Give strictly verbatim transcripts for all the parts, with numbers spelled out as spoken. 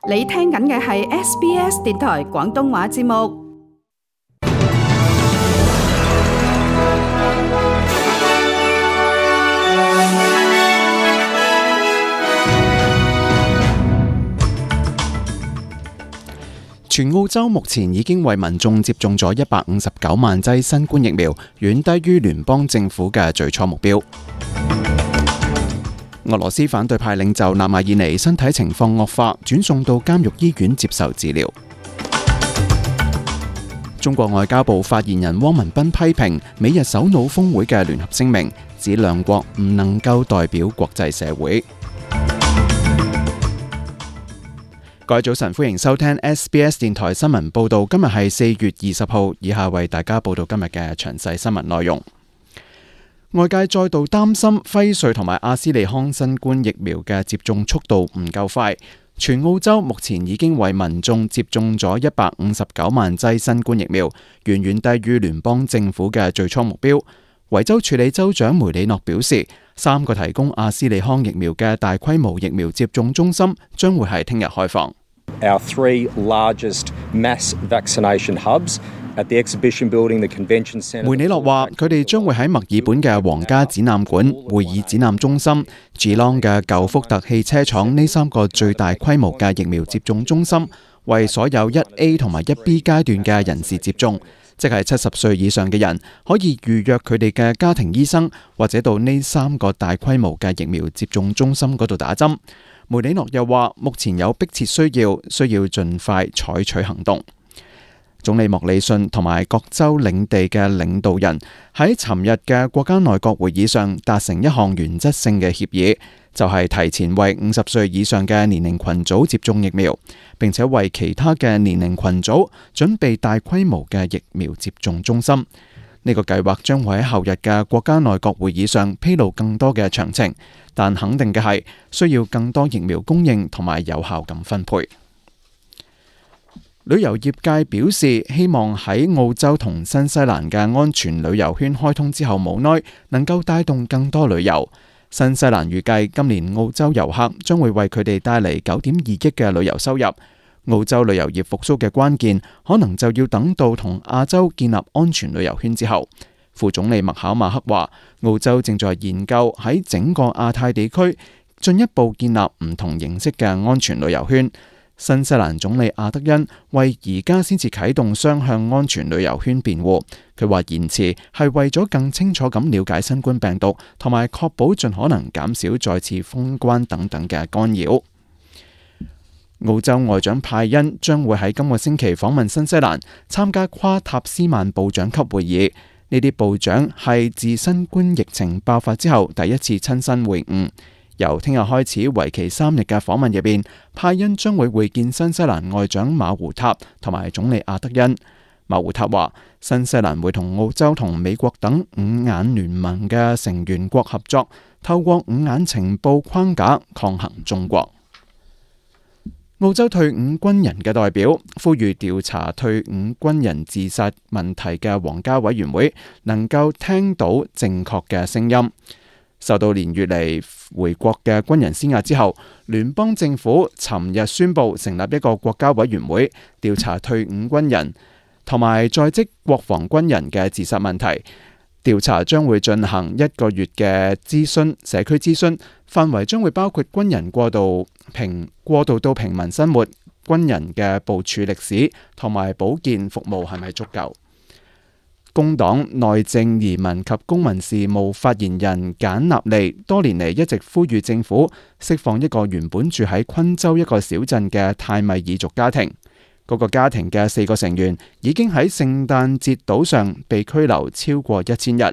你聽緊嘅係 S B S 電台廣東話節目。全澳洲目前已經為民眾接種咗一百五十九萬劑新冠疫苗，遠低於聯邦政府嘅最初目標。俄羅斯反對派領袖納瓦爾尼身體情況惡化，轉送到監獄醫院接受治療。中國外交部發言人汪文斌批評美日首腦峰會嘅聯合聲明，指兩國唔能夠代表國際社會。各位早晨，歡迎收聽 S B S 電台新聞報道。今日係四月二十號，以下為大家報道今日嘅詳細新聞內容。外界再度擔心輝瑞同埋阿斯利康新冠疫苗嘅接種速度唔夠快。全澳洲目前已經為民眾接種咗一百五十九萬劑新冠疫苗，遠遠低於聯邦政府嘅最初目標。維州處理州長梅里諾表示，三個提供阿斯利康疫苗嘅大規模疫苗接種中心將會係聽日開放。Our three largest mass vaccination hubs at the exhibition building, the convention centre. 梅里諾話，佢哋將會喺墨爾本嘅皇家展覽館、會議展覽中心、Geelong 嘅舊福特汽車廠呢三個最大規模嘅疫苗接種中心，為所有一 A 同埋一 B 階段嘅人士接種，即係七十歲以上嘅人可以預約佢哋嘅家庭醫生，或者到呢三個大規模嘅疫苗接種中心嗰度打針。梅里諾又話，目前有迫切需要，需要盡快採取行動。總理莫里遜同埋各州領地嘅領導人喺尋日嘅國家內閣會議上達成一項原則性嘅協議，就係提前為五十歲以上嘅年齡群組接種疫苗，並且為其他嘅年齡群組準備大規模嘅疫苗接種中心。呢個計劃將會喺後日嘅國家內閣會議上披露更多嘅詳情，但肯定嘅係需要更多疫苗供應同埋有效咁分配。旅遊業界表示，希望喺澳洲同新西蘭嘅安全旅遊圈開通之後無耐能夠帶動更多旅遊。新西蘭預計今年澳洲遊客將會為佢哋帶嚟九點二億嘅旅遊收入。澳洲旅遊業復甦嘅關鍵可能就要等到同亞洲建立安全旅遊圈之後。副總理麥考馬克話，澳洲正在研究喺整個亞太地區進一步建立唔同形式嘅安全旅遊圈。新西蘭總理阿德恩為而家先至啟動雙向安全旅遊圈辯護，佢話延遲係為咗更清楚咁了解新冠病毒，同埋確保盡可能減少再次封關等等嘅干擾。澳洲外長派恩將會喺今個星期訪問新西蘭，參加跨塔斯曼部長級會議。呢啲部長係自新冠疫情爆發之後第一次親身會晤。由聽日開始為期三日嘅訪問入邊，派恩將會會見新西蘭外長馬胡塔同埋總理阿德恩。馬胡塔話，新西蘭會同澳洲同美國等五眼聯盟嘅成員國合作，透過五眼情報框架抗衡中國。澳洲退伍軍人嘅代表呼籲調查退伍軍人自殺問題嘅皇家委員會能夠聽到正確嘅聲音。受到連月嚟回國嘅軍人施壓之後，聯邦政府尋日宣布成立一個國家委員會，調查退伍軍人同埋在職國防軍人嘅自殺問題。調查將會進行一個月嘅諮詢，社區諮詢範圍將會包括軍人過渡平過渡到平民生活、軍人嘅部署歷史同埋保健服務係咪足夠。工黨內政、移民及公民事務發言人簡納利多年嚟一直呼籲政府釋放一個原本住喺昆州一個小鎮嘅泰米爾族家庭。嗰個家庭嘅四個成員已經喺聖誕節島上被拘留超過一千日。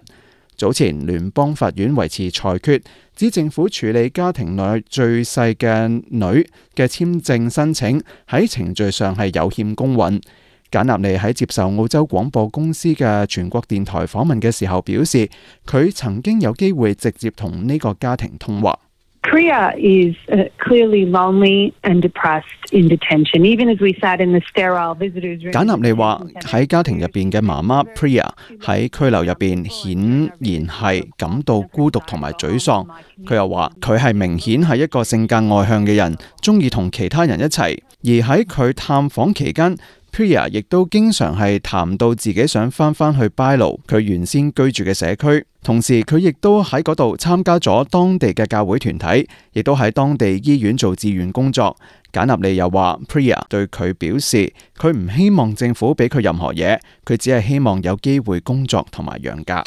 早前聯邦法院維持裁決，指政府處理家庭內最細嘅女嘅簽證申請喺程序上係有欠公允。簡納利喺接受澳洲廣播公司嘅全國電台訪問嘅時候表示，佢曾經有機會直接同呢個家庭通話。Priya is uh, clearly lonely and depressed in detention, even as we sat in the sterile visitors room. 簡納利話喺家庭入邊嘅媽媽 Priya 喺拘留入邊顯然係感到孤獨同埋沮喪。佢又話佢係明顯係一個性格外向嘅人，中意同其他人一齊，而喺佢探訪期間，Priya 亦都經常係談到自己想翻返去拜魯佢原先居住嘅社區，同時佢亦都喺嗰度參加咗當地嘅教會團體，亦都喺當地醫院做志願工作。簡納利又話 Priya 對佢表示，佢唔希望政府俾佢任何嘢，佢只係希望有機會工作同埋養家。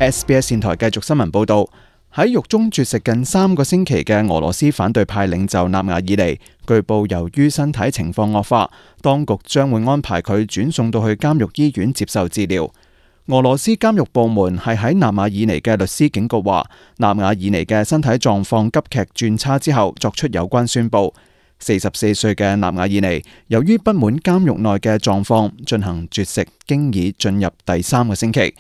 S B S 電台繼續新聞報道。喺獄中絕食近三個星期嘅俄羅斯反對派領袖納瓦爾尼，據報由於身體情況惡化，當局將會安排佢轉送到去監獄醫院接受治療。俄羅斯監獄部門係喺納瓦爾尼嘅律師警告話，納瓦爾尼嘅身體狀況急劇轉差之後作出有關宣佈。四十四歲嘅納瓦爾尼由於不滿監獄內嘅狀況，進行絕食，經已進入第三個星期。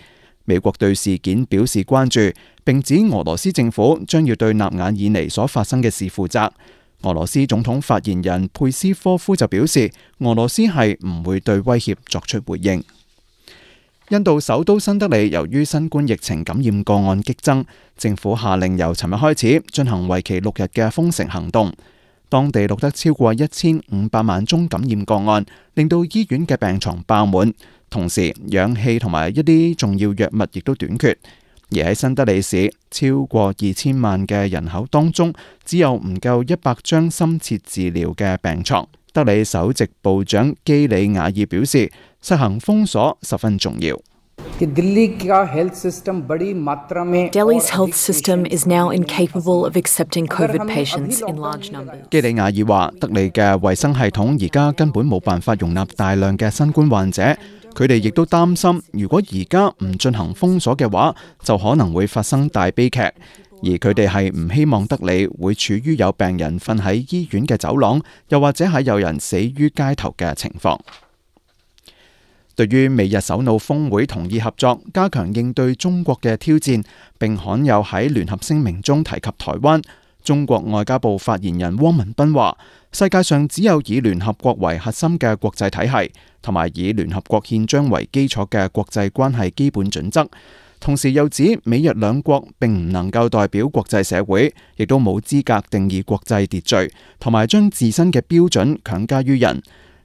美國對事件表示關注，並指俄羅斯政府將要對納瓦爾尼所發生嘅事負責。俄羅斯總統發言人佩斯科夫就表示，俄羅斯係唔會對威脅作出回應。印度首都新德里由於新冠疫情感染個案激增，政府下令由尋日開始進行為期六日嘅封城行動。當地錄得超過一千五百萬宗感染個案，令到醫院嘅病床爆滿。同時，氧氣同埋一啲重要藥物亦都短缺。而喺新德里市，超過二千萬嘅人口當中，只有唔夠一百張深切治療嘅病床。德里首席部長基里亞爾表示，實行封鎖十分重要。Delhi's health system is now incapable of accepting COVID patients in large numbers. 基里亞爾話，德里嘅衛生系統而家根本冇辦法容納大量嘅新冠患者。佢哋亦都擔心，如果而家唔進行封鎖嘅話，就可能會發生大悲劇。而佢哋係唔希望德里會處於有病人瞓喺醫院嘅走廊，又或者係有人死於街頭嘅情況。對於美日首腦峰會同意合作，加強應對中國嘅挑戰，並罕有喺聯合聲明中提及台灣。中國外交部發言人汪文斌話，世界上只有以聯合國為核心嘅國際體系，同埋以聯合國憲章為基礎嘅國際關係基本準則。同時又指美日兩國並唔能夠代表國際社會，亦都冇資格定義國際秩序，同埋將自身嘅標準強加於人。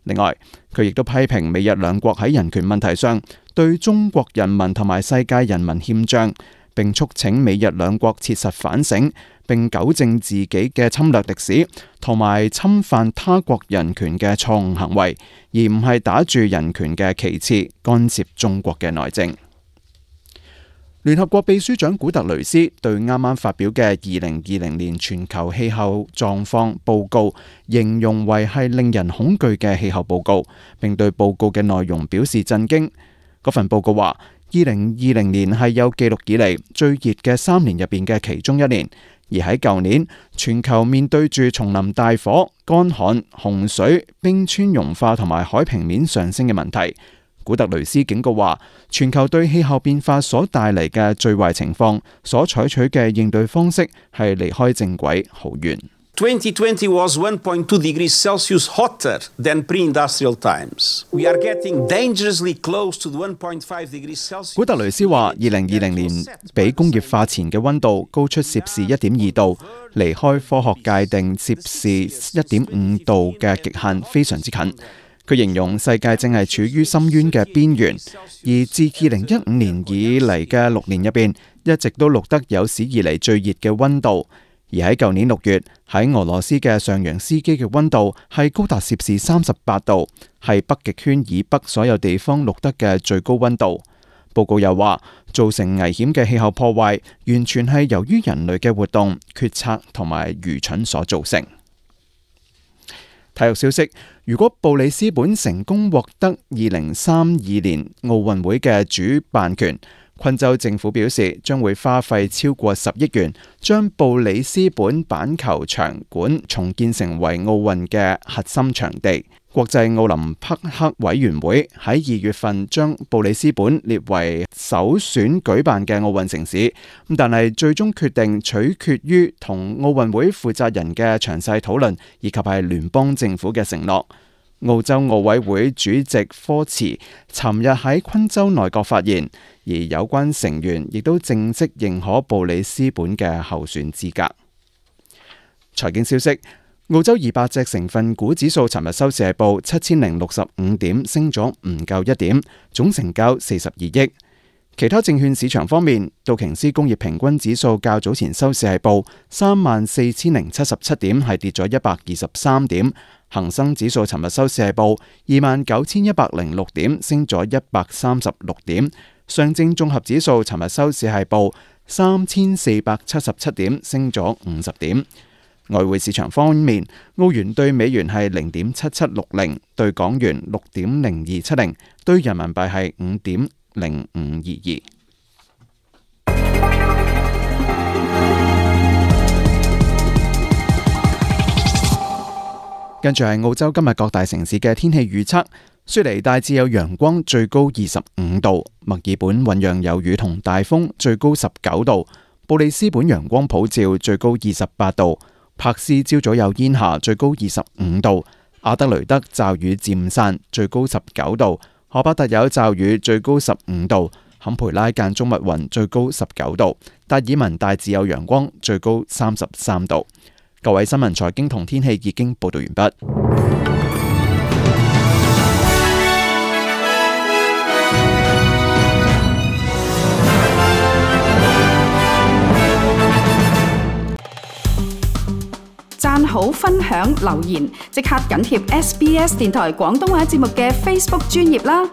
另外，佢亦都批評美日兩國喺人權問題上對中國人民同埋世界人民欠賬，並促請美日兩國切實反省，並糾正自己嘅侵略歷史同埋侵犯他國人權嘅錯誤行為，而唔係打住人權嘅旗幟干涉中國嘅內政。聯合國秘書長古特雷斯對啱啱發表嘅二零二零年全球氣候狀況報告形容為係令人恐懼嘅氣候報告，並對報告嘅內容表示震驚。嗰份報告話，二零二零年係有記錄以嚟最熱嘅三年入邊嘅其中一年，而喺舊年，全球面對住叢林大火、乾旱、洪水、冰川融化同埋海平面上升嘅問題。古特雷斯警告話，全球對氣候變化所帶嚟嘅最壞情況，所採取嘅應對方式係離開正軌好遠。twenty twenty was one point two degrees Celsius hotter than pre-industrial times. We are getting dangerously close to the one point five degrees Celsius. 古特雷斯話，二零二零年比工業化前嘅溫度高出攝氏一點二度，離開科學界定攝氏一點五度嘅極限非常之近。佢形容世界正係處於深淵嘅邊緣，而自二零一五年以嚟嘅六年入邊，一直都錄得有史以嚟最熱嘅溫度。而喺舊年六月，喺俄羅斯嘅上揚斯基嘅溫度係高達攝氏三十八度，係北極圈以北所有地方錄得嘅最高溫度。報告又話，造成危險嘅氣候破壞，完全係由於人類嘅活動、決策同埋愚蠢所造成。體育消息：如果布里斯本成功獲得二零三二年奧運會嘅主辦權，昆州政府表示將會花費超過十億元，將布里斯本板球場館重建成為奧運嘅核心場地。國際奧林匹克委員會喺二月份將布里斯本列為首選舉辦嘅奧運城市，但係最終決定取決於同奧運會負責人嘅詳細討論，以及係聯邦政府嘅承諾。澳洲奧委會主席科茨尋日喺昆州內閣發言，而有關成員亦都正式認可布里斯本嘅候選資格。財經消息，澳洲二百隻成分股指數尋日收市係報七千零六十五點，升咗唔夠一點，總成交四十二億。其他證券市場方面，道瓊斯工業平均指數較早前收市係報三萬四千零七十七點，係跌咗一百二十三點。恒生指數尋日收市係報二萬九千一百零六點，升咗一百三十六點。上證綜合指數尋日收市係報三千四百七十七點，升咗五十點。外匯市場方面，澳元對美元係零點七七六零，對港元六點零二七零，對人民幣係五點零五二二。跟住係澳洲今日各大城市嘅天氣預測：雪梨大致有陽光，最高二十五度；墨爾本醞釀有雨同大風，最高十九度；布里斯本陽光普照，最高二十八度；柏斯朝早有煙霞，最高二十五度；阿德雷德驟雨漸散，最高十九度；荷巴特有驟雨，最高十五度；坎培拉間中密雲，最高十九度；達爾文大致有陽光，最高三十三度。各位新聞財經同天氣已經報道完畢。讚好、分享、留言，即刻緊貼 S B S 電台廣東話節目嘅 Facebook 專頁啦！